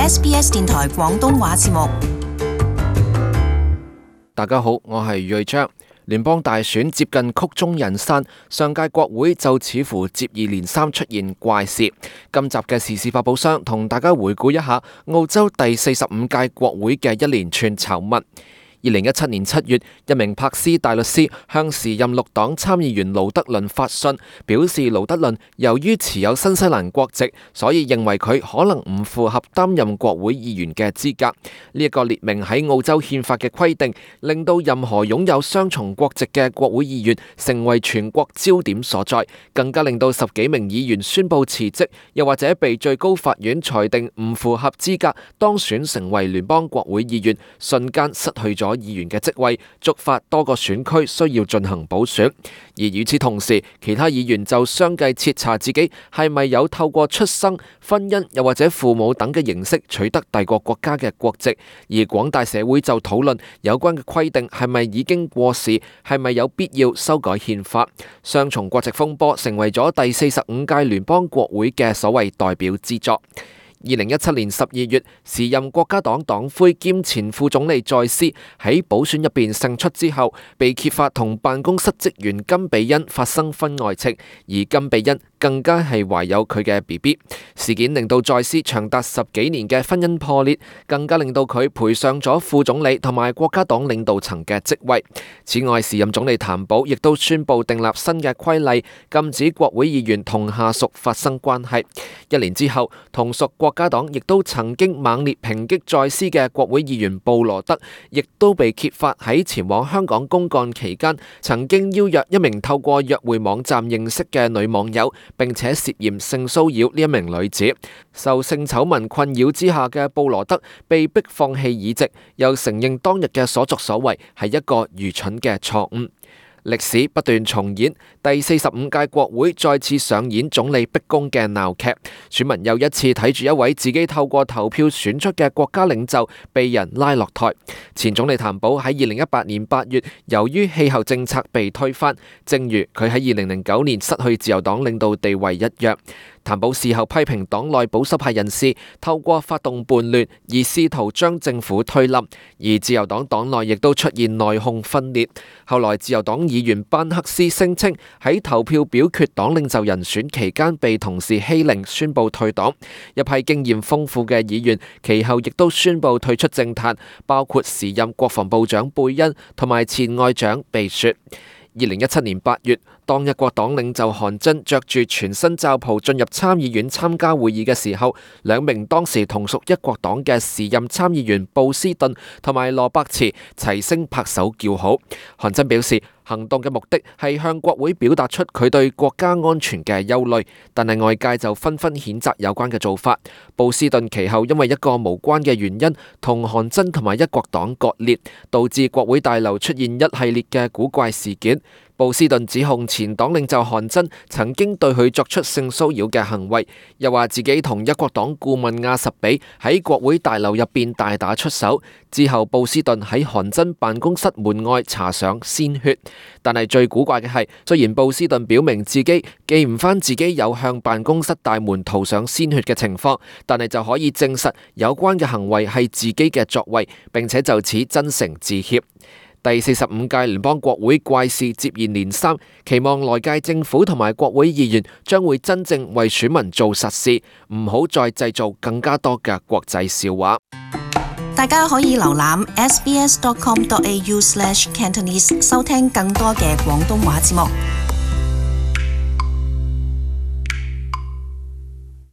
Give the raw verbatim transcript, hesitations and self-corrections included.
S B S 電台廣東話節目。大家好，我係瑞章。聯邦大選接近曲終人散，上屆國會就似乎接二連三出現怪事。今集嘅時事發報商同大家回顧一下澳洲第四十五屆國會嘅一連串醜聞。二零一七年七月，一名柏斯大律師向時任綠黨參議員盧德倫發信，表示盧德倫由於持有新西蘭國籍，所以認為佢可能唔符合擔任國會議員嘅資格。呢一個列明喺澳洲憲法嘅規定，令到任何擁有雙重國籍嘅國會議員成為全國焦點所在，更加令到十幾名議員宣布辭職，又或者被最高法院裁定唔符合資格當選成為聯邦國會議員，瞬間失去咗議員嘅職位，觸發多個選區需要進行補選。而與此同時，其他議員就相繼徹查自己係咪有透過出生、婚姻又或者父母等嘅形式取得第個國家嘅國籍。而廣大社會就討論有關嘅規定係咪已經過時，係咪有必要修改憲法。雙重國籍風波成為咗第四十五屆聯邦國會嘅所謂代表之作。二零一七年十二月，時任國家黨黨魁兼前副總理在斯喺補選入邊勝出之後，被揭發同辦公室職員金比恩發生婚外情，而金比恩更加係懷有佢嘅 B B。 事件令到在斯長達十幾年嘅婚姻破裂，更加令到佢賠上咗副總理同埋國家黨領導層嘅職位。此外，時任總理譚寶亦都宣布訂立新嘅規例，禁止國會議員同下屬發生關係。一年之後，同屬國家黨亦都曾經猛烈抨擊在斯嘅國會議員布羅德，亦都被揭發喺前往香港公幹期間，曾經邀約一名透過約會網站認識嘅女網友，並且涉嫌性騷擾呢一名女子。受性醜聞困擾之下嘅布羅德被迫放棄議席，又承認當日嘅所作所為係一個愚蠢嘅錯誤。歷史不斷重演，第四十五屆國會再次上演總理逼宮嘅鬧劇，選民又一次睇住一位自己透過投票選出嘅國家領袖被人拉落台。前總理譚寶喺二零一八年八月，由於氣候政策被推翻，正如佢喺二零零九年失去自由黨領導地位一樣。譚寶事後批評黨內保守派人士透過發動叛亂而試圖將政府推冧，而自由黨黨內亦都出現內訌分裂。後來自由黨議員班克斯聲稱喺投票表決黨領袖人選期間被同事欺凌，宣布退黨。一批經驗豐富嘅議員其後亦都宣布退出政壇，包括時任國防部長貝恩同埋前外長貝雪。二零一七年八月，當一國黨領袖韓真着住全新罩袍進入參議院參加會議嘅時候，兩名當時同屬一國黨嘅時任參議員布斯頓同埋羅伯茨齊聲拍手叫好。韓真表示，行動嘅目的係向國會表達出佢對國家安全嘅憂慮，但係外界就紛紛譴責有關嘅做法。布斯頓其後因為一個無關嘅原因同韓真同埋一國黨割裂，導致國會大樓出現一系列嘅古怪事件。布斯頓指控前黨領袖韓真曾經對佢作出性騷擾嘅行為，又話自己同一國黨顧問亞什比喺國會大樓入邊大打出手。之後布斯頓喺韓真辦公室門外搽上鮮血。但係最古怪嘅係，雖然布斯頓表明自己記唔返自己有向辦公室大門塗上鮮血嘅情況，但係就可以證實有關嘅行為係自己嘅作為，並且就此真誠致歉。第四十五屆聯邦國會怪事接二連三，期望來屆政府同埋國會議員將會真正為選民做實事，唔好再製造更加多嘅國際笑話。大家可以瀏覽 s b s dot com dot a u slash cantonese 收聽更多嘅廣東話節目。